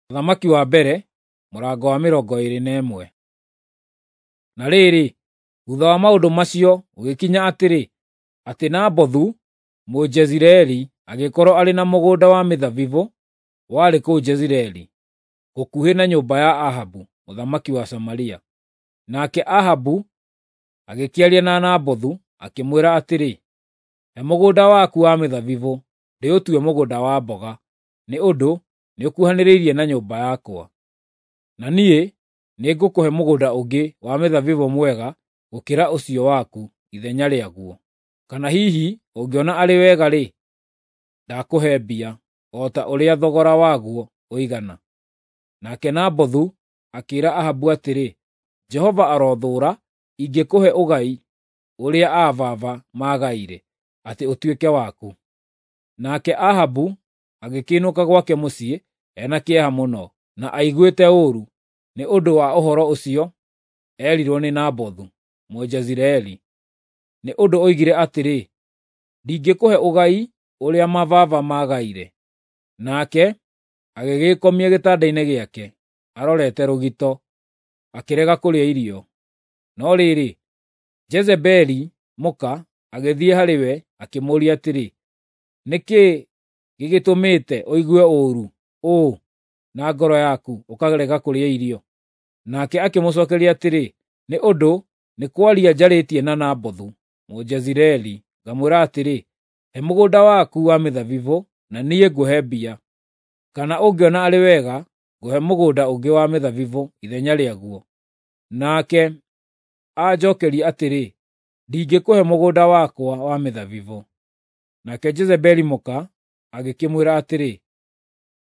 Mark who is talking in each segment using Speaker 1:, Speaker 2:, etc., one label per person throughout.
Speaker 1: Ũthamaki wa mbere, mũrango wa 21. Na rĩrĩ, thuutha wa maũndũ macio gũgĩkinya atĩrĩ, atĩ Nabothu Mũjezireeli agĩkorwo arĩ na mũgũnda wa mĩthabibũ warĩ kũu Jezireeli, gũkuhĩ na nyũmba ya Ahabu mũthamaki wa Samaria. Nake Ahabu agĩkĩaria na Nabothu, akĩmwĩra atĩrĩ, “He mũgũnda waku wa mĩthabibũ ndĩũtue mũgũnda wa mboga, nĩ ũndũ nĩũkuhanĩrĩirie na nyũmba yakwa. Na niĩ nĩngũkũhe mũgũnda ũngĩ wa mĩthabibũ mwega gũkĩra ũcio waku ithenya rĩaguo. Kana hihi ũngĩona arĩ wega-rĩ, ndakũhe mbia, o ta ũrĩa thogora waguo ũigana.” Nake Nabothu akĩĩra Ahabu atĩrĩ, “Jehova arothũũra ingĩkũhe ũgai ũrĩa aa baba maagaire, atĩ ũtuĩke waku.” Nake Ahabu agĩkĩinũka gwake mũciĩ e na kĩeha mũno, na aiguĩte ũũru nĩ ũndũ wa ũhoro ũcio eerirwo nĩ Nabothu Mũjezireeli, nĩ ũndũ oigire atĩrĩ, “Ndingĩkũhe ũgai ũrĩa mababa maagaire.” Nake agĩgĩĩkomia gĩtanda-inĩ gĩake arorete rũgito, akĩrega kũrĩa irio. No rĩrĩ, Jezebeli mũka agĩthiĩ harĩ we akĩmũũria atĩrĩ, “Nĩ kĩĩ gĩgĩtũmĩte ũigue ũũru ũũ na ngoro yaku ũkarega kũrĩa irio?” Nake akĩmũcookeria atĩrĩ, “Nĩ ũndũ nĩ kwaria njarĩtie na Nabothu Mũjezireeli, ngamwĩra atĩrĩ, ‘He mũgũnda waku wa mĩthabibũ na niĩ ngũhe mbia, kana ũngĩona arĩ wega, ngũhe mũgũnda ũngĩ wa mĩthabibũ ithenya rĩaguo.’ Nake anjookeria atĩrĩ, ‘Ndingĩkũhe mũgũnda wakwa wa mĩthabibũ.’ ” Nake Jezebeli mũka agĩkĩmwĩra atĩrĩ,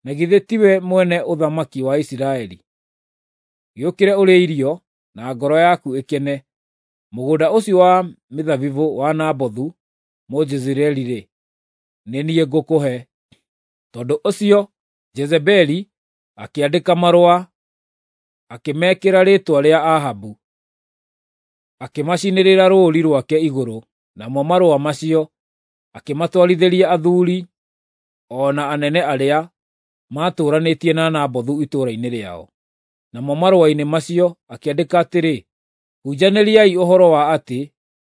Speaker 1: “Na githĩ tiwe mwene ũthamaki wa Isiraeli? Gĩũkĩre ũrĩe irio, na ngoro yaku ĩkene. Mũgũnda ũcio wa mĩthabibũ wa Nabothu Mũjezireeli-rĩ, nĩ niĩ ngũkũhe.” Tondũ ũcio Jezebeli akĩandĩka marũa, akĩmekĩra rĩĩtwa rĩa Ahabu, akĩmacinĩrĩra rũũri rwake igũrũ, namo marũa macio akĩmatwarithĩria athuuri o na anene arĩa maatũũranĩtie na Nabothu itũũra-inĩ rĩao. Namo marũa-inĩ macio akĩandĩka atĩrĩ, “Hunjanĩriai ũhoro wa atĩ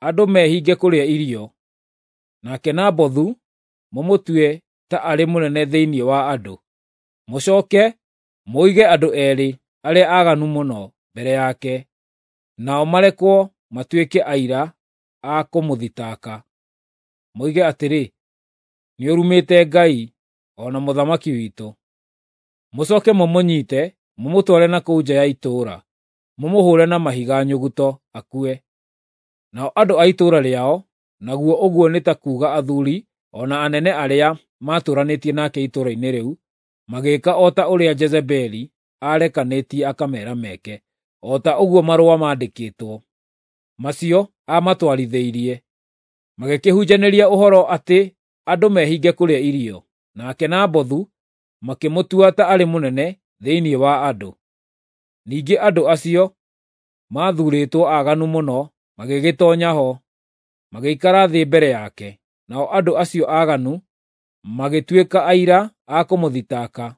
Speaker 1: andũ mehinge kũrĩa irio, nake Nabothu mũmũtue ta arĩ mũnene thĩinĩ wa andũ. Mũcooke mũige andũ eerĩ arĩa aaganu mũno mbere yake, nao marekwo matuĩke aira a kũmũthitanga, moige atĩrĩ, ‘Nĩũrumĩte Ngai, o na mũthamaki witũ.’ Mũcooke mũmũnyiite mũmũtware na kũu nja ya itũũra, mũmũhũũre na mahiga nyuguto akue.” Nao andũ a itũũra rĩao, naguo ũguo nĩ ta kuuga athuuri o na anene arĩa maatũũranĩtie nake itũũra-inĩ rĩu, magĩĩka o ta ũrĩa Jezebeli aarekanĩtie akameera meke, o ta ũguo marũa maandĩkĩtwo macio aamatwarithĩirie. Magĩkĩhunjanĩria ũhoro atĩ andũ mehinge kũrĩa irio, nake Nabothu makĩmũtua ta arĩ mũnene thĩinĩ wa andũ. Ningĩ andũ acio maathuurĩtwo aaganu mũno magĩgĩtoonya ho, magĩikara thĩ mbere yake. Nao andũ acio aaganu magĩtuĩka aira a kũmũthitanga.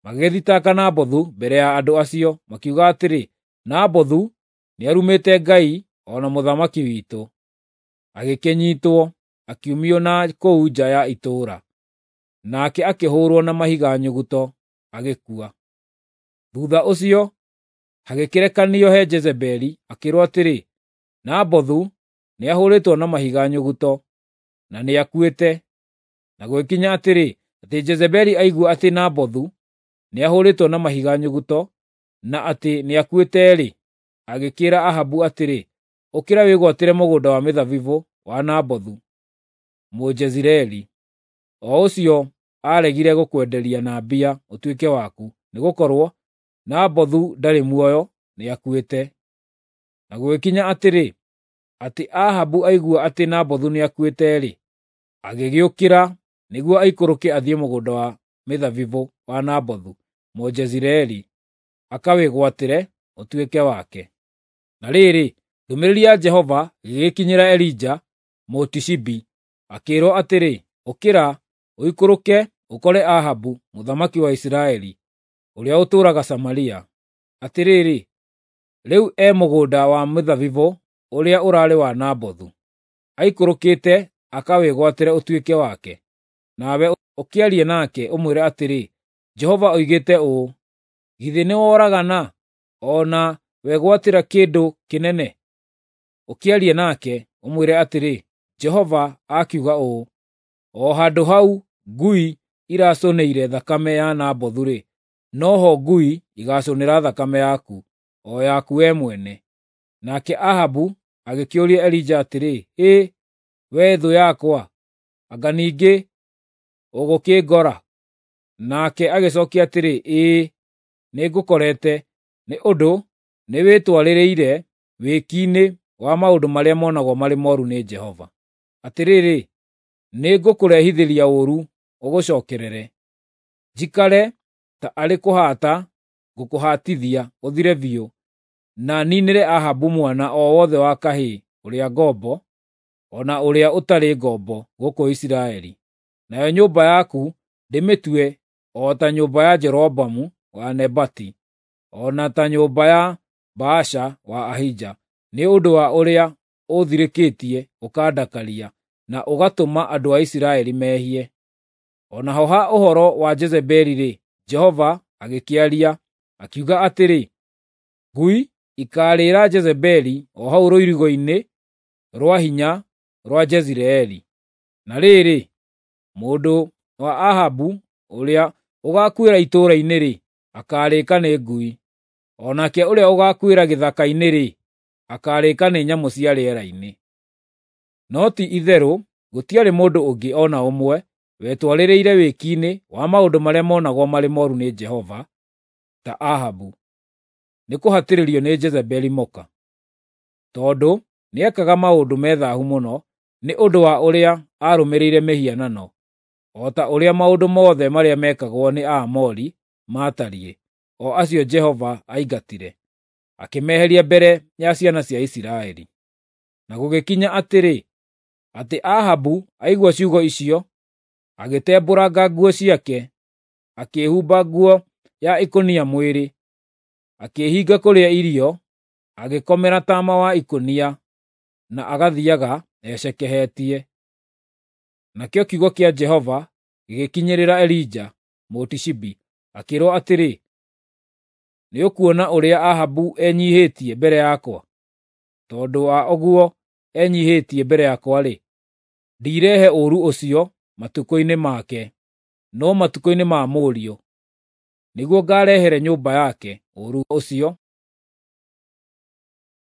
Speaker 1: Magĩgĩthitanga Nabothu mbere ya andũ acio, makiuga atĩrĩ, “Nabothu nĩarumĩte Ngai o na mũthamaki witũ.” Agĩkĩnyiitwo, akiumio na kũu nja ya itũũra, nake akĩhũũrwo na mahiga nyuguto, agĩkua. Thuutha ũcio hagĩkĩrekanio he Jezebeli, akĩĩrwo atĩrĩ, “Nabothu nĩahũrĩtwo na mahiga nyuguto, na nĩakuĩte.” Na gũgĩkinya atĩrĩ, atĩ Jezebeli aigua atĩ Nabothu nĩahũrĩtwo na mahiga nyuguto, na atĩ nĩakuĩte-rĩ, agĩkĩĩra Ahabu atĩrĩ, “Ũkĩra wĩgwatĩre mũgũnda wa mĩthabibũ wa Nabothu Mũjezireeli, o ũcio aaregire gũkwenderia na mbia ũtuĩke waku, nĩgũkorwo Nabothu ndarĩ muoyo, nĩakuĩte.” Na gũgĩkinya atĩrĩ, atĩ Ahabu aigua atĩ Nabothu nĩakuĩte-rĩ, agĩgĩũkĩra nĩguo aikũrũke athiĩ mũgũnda wa mĩthabibũ wa Nabothu Mũjezireeli akawĩgwatĩre ũtuĩke wake. Na rĩrĩ, ndũmĩrĩri ya Jehova ĩgĩgĩkinyĩra Elija Mũtishibi, akĩĩrwo atĩrĩ, “Ũkĩra, ũikũrũke ũkore Ahabu mũthamaki wa Isiraeli. ũrĩa ũtũũraga Samaria. Atĩrĩrĩ, rĩu e mũgũnda wa mĩthabibũ ũrĩa ũraarĩ wa Nabothu, aikũrũkĩte akawĩgwatĩre ũtuĩke wake. Nawe ũkĩarie nake, ũmwĩre atĩrĩ, ‘Jehova oigĩte ũũ: Githĩ nĩworagana, o na wegwatĩra kĩndũ kĩnene?’ Ũkĩarie nake, ũmwĩre atĩrĩ, ‘Jehova akiuga ũũ: O handũ hau ngui iracũnĩire thakame ya Nabothu-rĩ, noho ngui igaacũnĩra thakame yaku, o yaku wee mwene.’ ” Nake Ahabu agĩkĩũria Elija atĩrĩ, “Hĩ, wee thũ yakwa, anga ningĩ ũgũkĩngora?” Nake agĩcookia atĩrĩ, “Ĩĩ, nĩngũkorete, nĩ ũndũ nĩwĩtwarĩrĩire wĩki-inĩ wa maũndũ marĩa monagwo marĩ mooru nĩ Jehova. Atĩrĩrĩ, nĩngũkũrehithĩria ũũru ũgũcookerere, njikare ta arĩ kũhaata ngũkũhaatithia ũthire biũ, na niinĩre Ahabu mwana o wothe wa kahĩĩ ũrĩa ngombo, o na ũrĩa ũtarĩ ngombo gũkũ Isiraeli. Nayo nyũmba yaku ndĩmĩtue o ta nyũmba ya Jeroboamu wa Nebati, o na ta nyũmba ya Baasha wa Ahija, nĩ ũndũ wa ũrĩa ũũthirĩkĩtie ũkandakaria, na ũgatũma andũ a Isiraeli mehie.” O naho ha ũhoro wa Jezebeli-rĩ, Jehova agĩkĩaria, akiuga atĩrĩ, “Ngui ikaarĩĩra Jezebeli o hau rũirigo-inĩ rwa hinya rwa Jezireeli.” Na rĩrĩ, mũndũ wa Ahabu ũrĩa ũgaakuĩra itũũra-inĩ-rĩ, akaarĩĩka nĩ ngui, o nake ũrĩa ũgaakuĩra gĩthaka-inĩ-rĩ, akaarĩĩka nĩ nyamũ cia rĩera-inĩ. No ti-itherũ gũtiarĩ mũndũ ũngĩ o na ũmwe wetwarĩrĩire wĩki-inĩ wa maũndũ marĩa monagwo marĩ mooru nĩ Jehova ta Ahabu, nĩkũhatĩrĩrio nĩ Jezebeli mũka, tondũ nĩekaga maũndũ me thaahu mũno nĩ ũndũ wa ũrĩa aarũmĩrĩire mĩhianano, o ta ũrĩa maũndũ mothe marĩa meekagwo nĩ Aamori maatariĩ, o acio Jehova aingatire, akĩmeheria mbere ya ciana cia Isiraeli. Na gũgĩkinya atĩrĩ, atĩ Ahabu aigua ciugo icio, agĩtembũranga nguo ciake, akĩĩhumba nguo ya ikũnia mwĩrĩ, akĩĩhinga kũrĩa irio, agĩkomera taama wa ikũnia, na agathiiaga ecekehetie. Nakĩo kiugo kĩa Jehova gĩgĩkinyĩrĩra Elija Mũtishibi, akĩĩrwo atĩrĩ, “Nĩũkuona ũrĩa Ahabu enyiihĩtie mbere yakwa? Tondũ wa ũguo enyiihĩtie mbere yakwa-rĩ, ndirehe ũũru ũcio matukũ-inĩ make, no matukũ-inĩ ma mũriũ, nĩguo ngaarehere nyũmba yake ũũru ũcio.”